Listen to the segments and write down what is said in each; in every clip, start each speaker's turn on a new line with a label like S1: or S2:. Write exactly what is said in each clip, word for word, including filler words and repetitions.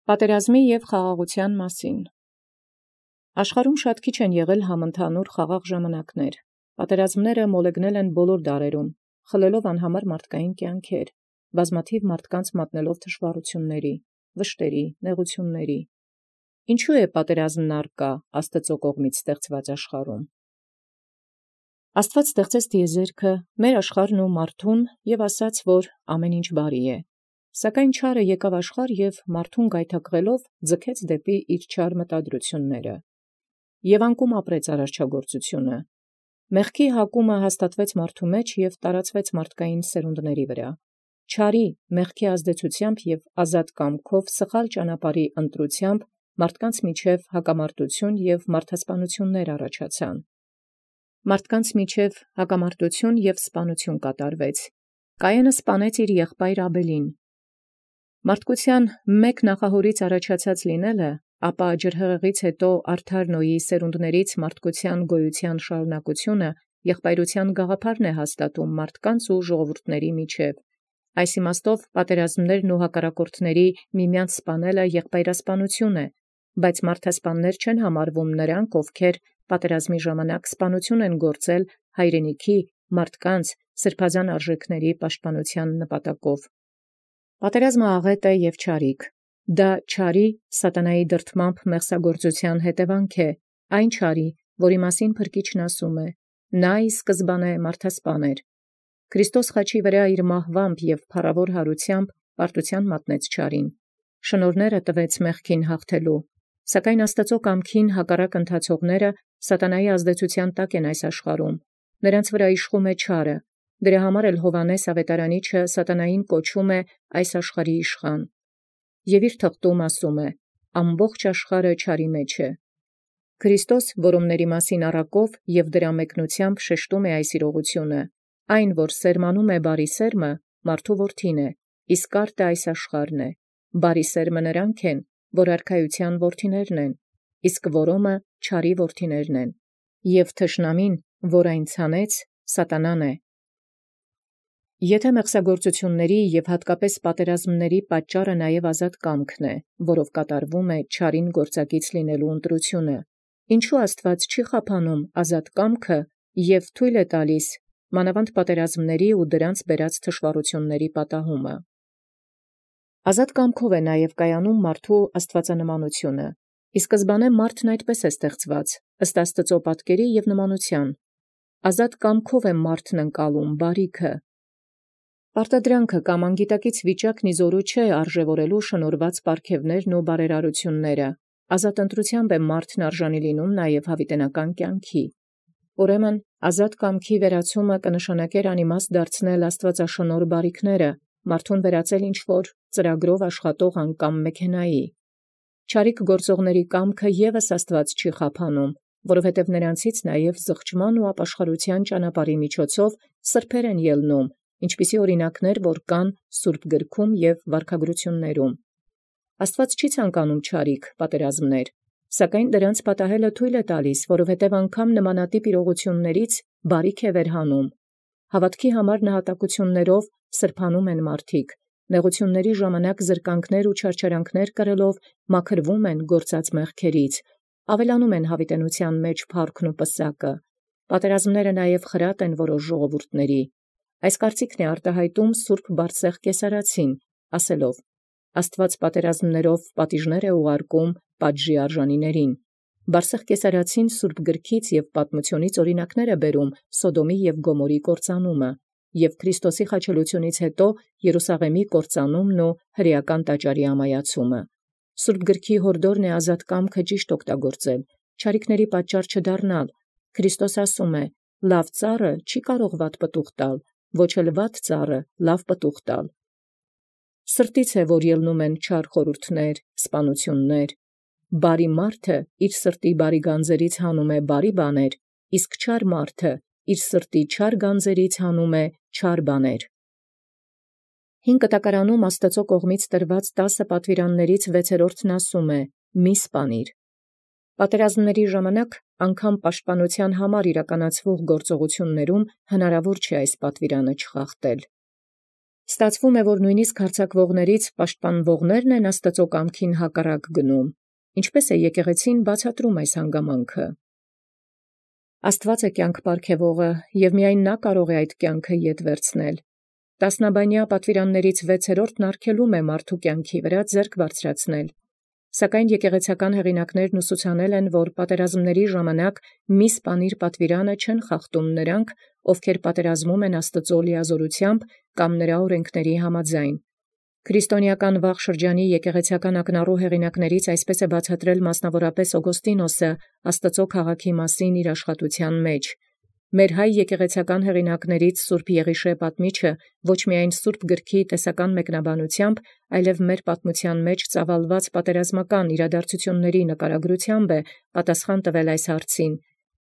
S1: Պատերազմի և խաղաղութեան մասին։ Աշխարհում շատ քիչ են եղել համընդհանուր խաղաղ ժամանակներ. պատերազմները մոլեգնել են բոլոր դարերում, խլելով անհամար մարդկային կյանքեր, բազմաթիվ մարդկանց մատնելով թշվառությունների, վշտերի, նեղությունների։ Ինչու է պատերազմն առկա Աստծո կողմից ստեղծված աշխարհում։ Աստված ստեղծեց տիեզերքը, մեր աշխարհն ու մարդուն և ասաց, որ ամեն ինչ բարի է։ Սակայն չարը եկավ աշխարհ և մարդուն գայթակղելով ձգեց դեպի իր չար մտադրությունները։ Եվ անկում ապրեց արարչագործությունը։ Մեղքի հակումը հաստատվեց մարդու մեջ և տարածվեց մարդկային սերունդների վրա։ Չարի, մեղքի ազդեցությամբ և ազատ կամքով սխալ ճանապարհի ընտրությամբ մարդկանց միջև հակամարտություն և մարդասպանություններ առաջացան։ Մարդկանց միջև հակամարտություն և սպանություն կատարվեց։ Կայենը սպանեց իր եղբայր Աբելին։ Մարդկության մեկ նախահորից առաջացած լինելը, ապա ջրհեղեղից հետո արդար Նոյի սերունդներից մարդկության գոյության շարունակությունը եղբայրութեան գաղափարն է հաստատում մարդկանց ու ժողովուրդների միջև։ Այս իմաստով պատերազմներն ու հակառակորդների միմյանց սպանելը եղբայրասպանություն է, բայց մարդասպաններ չեն համարվում նրանք, ովքեր պատերազմի ժամանակ սպանություն են գործել հայրենիքի, մարդկանց, սրբազան արժեքների պաշտպանության նպատակով։ Պատերազմը աղետ է և չարիք։ Դա չարի, սատանայի դրդմամբ մեղսագործության հետևանք է, այն չարի, որի մասին Փրկիչն ասում է. «Նա ի սկզբանե մարդասպան էր»։ Քրիստոս խաչի վրա իր մահվամբ և փառավոր հարությամբ պարտության մատնեց չարին։ Շնորհները տվեց մեղքին հաղթելու, սակայն Աստծո կամքին հակառակ ընթացողները սատանայի ազդեցության տակ են այս աշխարհում։ Նրանց վրա իշխում է չարը։ Դրա համար էլ Հովհաննես Ավետարանիչը սատանային կոչում է այս աշխարհի իշխան։ Եւ իր թղթում ասում է. «Ամբողջ աշխարհը չարի մեջ է»։ Քրիստոս, որոմների մասին առակով և դրա մեկնությամբ շեշտում է այս իրողությունը, այն, որ սերմանում է բարի սերմը, մարդու որդին է, իսկ արտը այս աշխարհն է։ Բարի սերմը նրանք են, որ արքայության որդիներն են, իսկ որոմը չարի որդիներն են։ Եւ թշնամին, որ այն ցանեց, սատանան է։ Եթե մեղսագործությունների և հատկապես պատերազմների պատճառը նաև ազատ կամքն է, որով կատարվում է չարին գործակից լինելու ընտրությունը, ինչու Աստված չի խափանում ազատ կամքը և թույլ է տալիս մանավանդ պատերազմների ու դրանց բերած թշվառությունների պատահումը։ Ազատ կամքով է նաև կայանում մարդու աստվածանմանությունը։ Ի սկզբանե մարդն այդպես է ստեղծված, ըստ Աստծո պատկերի և նմանության։ Ազատ կամքով է մարդն ընկալում բարիքը։ Պարտադրանքը կամ անգիտակից վիճակն իզորու չէ արժևորելու շնորհված պարգևներն ու բարերարությունները։ Ազատ ընտրությամբ է մարդն արժանի լինում նաև հավիտենական կյանքի։ Ուրեմն ազատ կամքի վերացումը կնշանակեր անիմաստ դարձնել աստվածաշնորհ բարիքները, մարդուն վերածել ինչ-որ ծրագրով աշխատող անգամ մեքենայի։ Չարիք գործողների կամքը ևս Աստված չի խափանում, որովհետև նրանցից նաև զղջման ու ապաշխարության ճանապարհի միջոցով սրբեր են ելնում, ինչպիսի օրինակներ որ կան Սուրբ գրքում և վարքագրություններում։ Աստված չի ցանկանում չարիք, պատերազմներ, սակայն դրանց պատահելը թույլ է տալիս, որովհետև անգամ նմանատիպ իրողություններից բարիք է վերհանում։ Հավատքի համար նահատակություններով սրբանում են մարդիկ, նեղությունների ժամանակ զրկանքներ ու չարչարանքներ կրելով մաքրվում են գործած մեղքերից, ավելանում են հավիտենության մեջ փառքն ու պսակը։ Պատերազմները նաև խրատ են որոշ ժողովուրդների։ Այս կարծիքն է արտահայտում Սուրբ Բարսեղ կեսարացին, ասելով. «Աստված պատերազմներով պատիժներ է ուղարկում պատժի արժանիներին»։ Բարսեղ կեսարացին Սուրբ գրքից և պատմությունից օրինակներ է բերում Սոդոմի և Գոմորի կործանումը և Քրիստոսի խաչելությունից հետո Երուսաղեմի կործանումն ու հրեական տաճարի ամայացումը։ Սուրբ գրքի հորդորն է ազատ կամքը ճիշտ օգտագործել, չարիքների պատճառ չդառնալ։ Քրիստոս ասում է. «Լավ ծառը չի կարող վատ պտուղ տալ, ոչ էլ վատ ծառը լավ պտուղ տալ»։ Սրտից է, որ ելնում են չար խորհուրդներ, սպանություններ։ Բարի մարդը իր սրտի բարի գանձերից հանում է բարի բաներ, իսկ չար մարդը իր սրտի չար գանձերից հանում է չար բաներ։ Հին կտակարանում Աստծո կողմից տրված տասը պատվիրաններից վեցերորդն ասում է. «Մի սպանիր»։ Պատերազմների ժամանակ անգամ պաշտպանության համար իրականացվող գործողություններում հնարավոր չէ այս պատվիրանը չխախտել։ Ստացվում է, որ նույնիսկ հարձակվողներից պաշտպանվողներն են Աստծու կամքին հակառակ գնում։ Ինչպէս է եկեղեցին բացատրում այս հանգամանքը։ Աստված է կյանք պարգևողը, և միայն նա կարող է այդ կյանքը ետ վերցնել։ Տասնաբանյա պատվիրաններից վեցերորդն արգելում է մարդու կյանքի վրա ձեռք բարձրացնել։ Սակայն եկեղեցական հեղինակներն ուսուցանել են, որ պատերազմների ժամանակ մի սպանիր պատվիրանը չեն խախտում նրանք, ովքեր պատերազմում են Աստծու լիազորությամբ կամ նրա օրենքների համաձայն։ Քրիստոնեական վաղ շրջանի եկեղեցական ակնառու հեղինակներից այսպես է բացատրել մասնավորապես Օգոստինոսը Աստծու քաղաքի մասին իր աշխատութեան մեջ։ Մեր հայ եկեղեցական հեղինակներից Սուրբ Եղիշէ պատմիչը ոչ միայն Սուրբ գրքի տեսական մեկնաբանությամբ, այլև մեր պատմութեան մեջ ծավալված պատերազմական իրադարձությունների նկարագրությամբ է պատասխան տվել այս հարցին։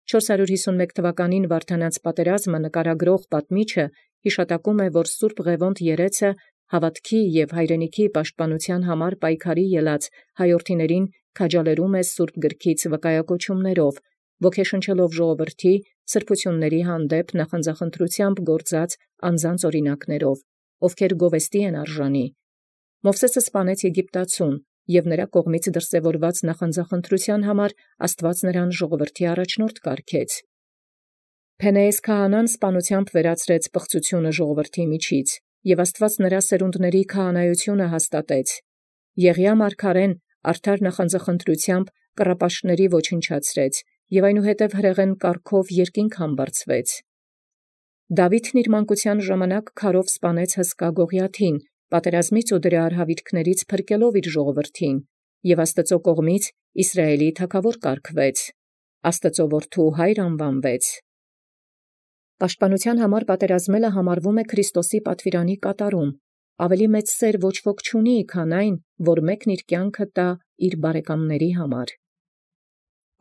S1: Չորս հարյուր հիսունմեկ թվականին Վարդանանց պատերազմը նկարագրող պատմիչը հիշատակում է, որ Սուրբ Ղևոնդ երեցը հավատքի և հայրենիքի պաշտպանութեան համար պայքարի ելած հայորդիներին քաջալերում է Սուրբ գրքից վկայակոչումներով, ոգեշնչելով ժողովրդի սրբությունների հանդեպ նախանձախնդրությամբ գործած անձանց օրինակներով, ովքեր գովեստի են արժանի։ Մովսէսը սպանեց Եգիպտացուն, և նրա կողմից դրսևորված նախանձախնդրութեան համար Աստուած նրան ժողովրդի առաջնորդ կարգեց։ Փենեես քահանան սպանութեամբ վերացրեց պղծությունը ժողովրդի միջից, և Աստուած նրա սերունդների քահանայությունը հաստատեց։ Եղիա մարգարեն արդար նախանձախնդրութեամբ կռապաշտների ոչնչացրեց, և այնուհետև հրեղեն կարգով երկինք համբարձվեց։ Դաւիթն իր մանկութեան ժամանակ քարով սպանեց Հսկա Գողիաթին, պատերազմից ու դրա արհավիրքներից փրկելով իր ժողովրդին, և Աստծու կողմից Իսրայէլի թագաւոր կարգվեց, Աստծու որդու հայր անուանվեց։ Պաշտպանութեան համար պատերազմելը համարվում է Քրիստոսի պատվիրանի կատարում։ Ավելի մեծ սեր ոչ ոք չունի, քան այն, որ մեկն իր կյանքը տա իր բարեկամների համար։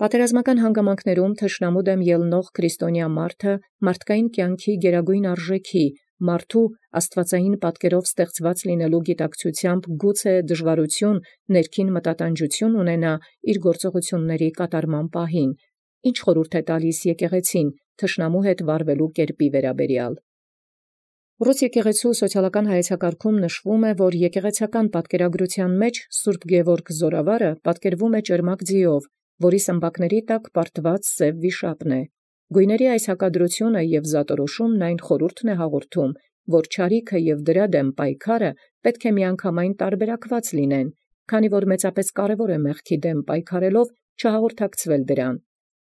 S1: Պատերազմական հանգամանքներում թշնամու դեմ ելնող քրիստոնյա մարդը մարդկային կյանքի գերագույն արժեքի, մարդու աստվածային պատկերով ստեղծված լինելու գիտակցությամբ գուցե դժվարություն, ներքին մտատանջություն ունենա իր գործողությունների կատարման պահին, ինչ խորհուրդ է տալիս եկեղեցին թշնամու հետ վարվելու կերպի վերաբերյալ։ Ռուս եկեղեցու սոցիալական հայեցակարգում նշվում է, որ եկեղեցական պատկերագրության մեջ Սուրբ Գևորգ Զորավարը պատկերվում է ճերմակ ձիով, որի սմբակների տակ պարտված սև վիշապն է։ Գույների այս հակադրությունը և զատորոշումն այն խորհուրդն է հաղորդում, որ չարիքը և դրա դեմ պայքարը պետք է միանգամայն տարբերակված լինեն, քանի որ մեծապես կարևոր է մեղքի դեմ պայքարելով չհաղորդակցվել դրան։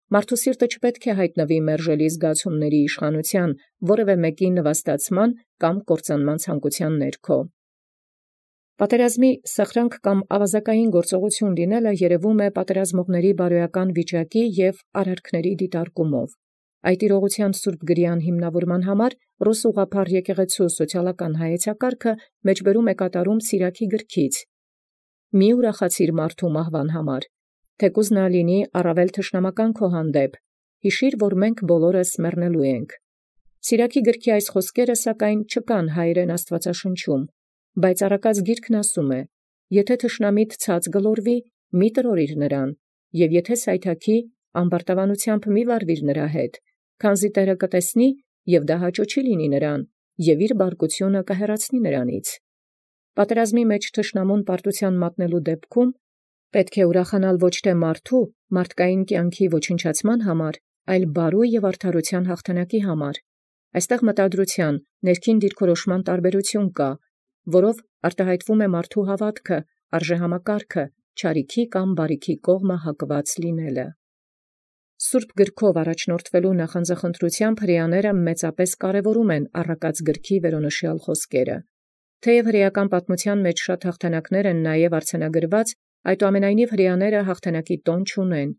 S1: Մարդու սիրտը չպետք է հայտնվի մերժելի զգացումների իշխանության, որևէ մեկի նվաստացման կամ կործանման ցանկության ներքո։ Պատերազմի սխրանք կամ ավազակային գործողություն լինելը երևում է պատերազմողների բարոյական վիճակի և արարքների դիտարկումով։ Այդ իրողության սուրբ գրյան հիմնավորման համար ռուս ուղղափառ եկեղեցու սոցիալական հայեցակարգը մեջբերում է կատարում Սիրակի գրքից։ Մի ուրախացիր մարդու մահվան համար, թեկուզ նա լինի առավել թշնամական քո հանդեպ, հիշիր, որ մենք բոլորս մեռնելու ենք։ Սիրակի գրքի այս խոսքերը սակայն չկան հայերեն Աստվածաշնչում, բայց առակած գիրքն ասում է. «Եթե թշնամիդ ցած գլորվի, մի տրորիր նրան, և եթե սայթաքի, ամբարտավանությամբ մի վարվիր նրա հետ, քանզի Տէրը կտեսնի, և դա հաճո չի լինի նրան, և իր բարկությունը կհեռացնի նրանից»։ Պատերազմի մեջ թշնամուն պարտութեան մատնելու դեպքում պետք է ուրախանալ ոչ թե մարդու, մարդկային կյանքի ոչնչացման համար, այլ բարու և արդարության հաղթանակի համար։ Այստեղ մտադրության, ներքին դիրքորոշման տարբերություն կա, որով արտահայտվում է մարդու հավատքը, արժեհամակարգը, չարիքի կամ բարիքի կողմը հակված լինելը։ Սուրբ գրքով առաջնորդվելու նախանձախնդրությամբ հրեաները մեծապես կարևորում են առակած գրքի վերոնշյալ խոսքերը։ Թեև հրեական պատմության մեջ շատ հաղթանակներ են նաև արձանագրված, այդուամենայնիվ հրեաները հաղթանակի տոն չունեն։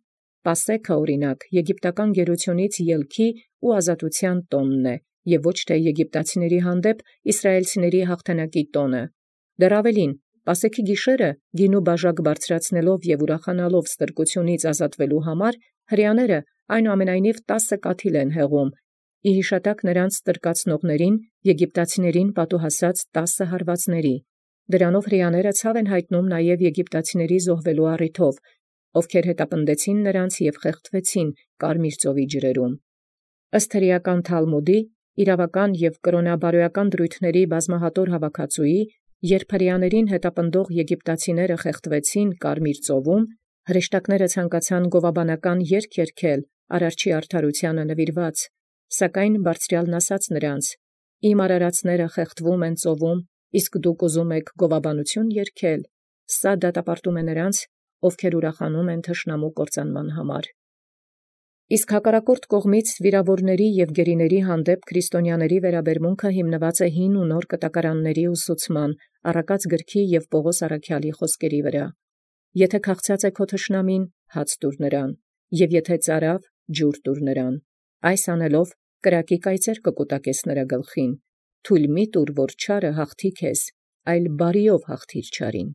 S1: Պասեքը, օրինակ, եգիպտական գերությունից ելքի ու ազատության տոնն է, և ոչ թե եգիպտացիների հանդեպ իսրայելցիների հաղթանակի տոնը։ Դեռ ավելին, Պասեքի գիշերը գինու բաժակ բարձրացնելով և ուրախանալով ստրկությունից ազատվելու համար հրեաները այնուամենայնիվ տասը կաթիլ են հեղում, ի հիշատակ նրանց ստրկացնողներին եգիպտացիներին պատուհասած տասը հարվածների։ Դրանով հրեաները ցավ են հայտնում նաև եգիպտացիների զոհվելու առիթով, ովքեր հետապնդեցին նրանց և խեղդվեցին Կարմիր ծովի ջրերում։ Ըստ հրեական Թալմուդի, իրավական և կրոնաբարոյական դրույթների բազմահատոր հավաքածուի, երբ հրեաներուն հետապնդող եգիպտացիները խեղդվեցին Կարմիր ծովուն, հրեշտակները ցանկացան գովաբանական երգ երգել արարչի արդարութիւնն նուիրուած, սակայն բարձրեալն ասաց նոցա. «Իմ արարածները խեղդվում են ծովում, իսկ դուք ուզում էք գովաբանութիւն երգել. սա դատապարտում է նոցա, ովքեր ուրախանում են թշնամու կործանման համար»։ Իսկ հակառակորդ կողմից վիրաւորացն և գերիցն հանդեպ քրիստոնյաների վերաբերմունքը հիմնված է հին և նոր կտակարանացն ուսուցման, Առակաց գրոյն և Պաւղոս առաքելոյ բանիցն. «Եթէ քաղցած է քո թշնամին, հաց տուր նրան, և եթէ ծարաւ, ջուր տուր նրան. այս անելով կրակի կայծեր կկուտակես նրա գլխին. թույլ մի՛ տուր որ չարը հաղթի քեզ, այլ բարիով հաղթիր չարին»։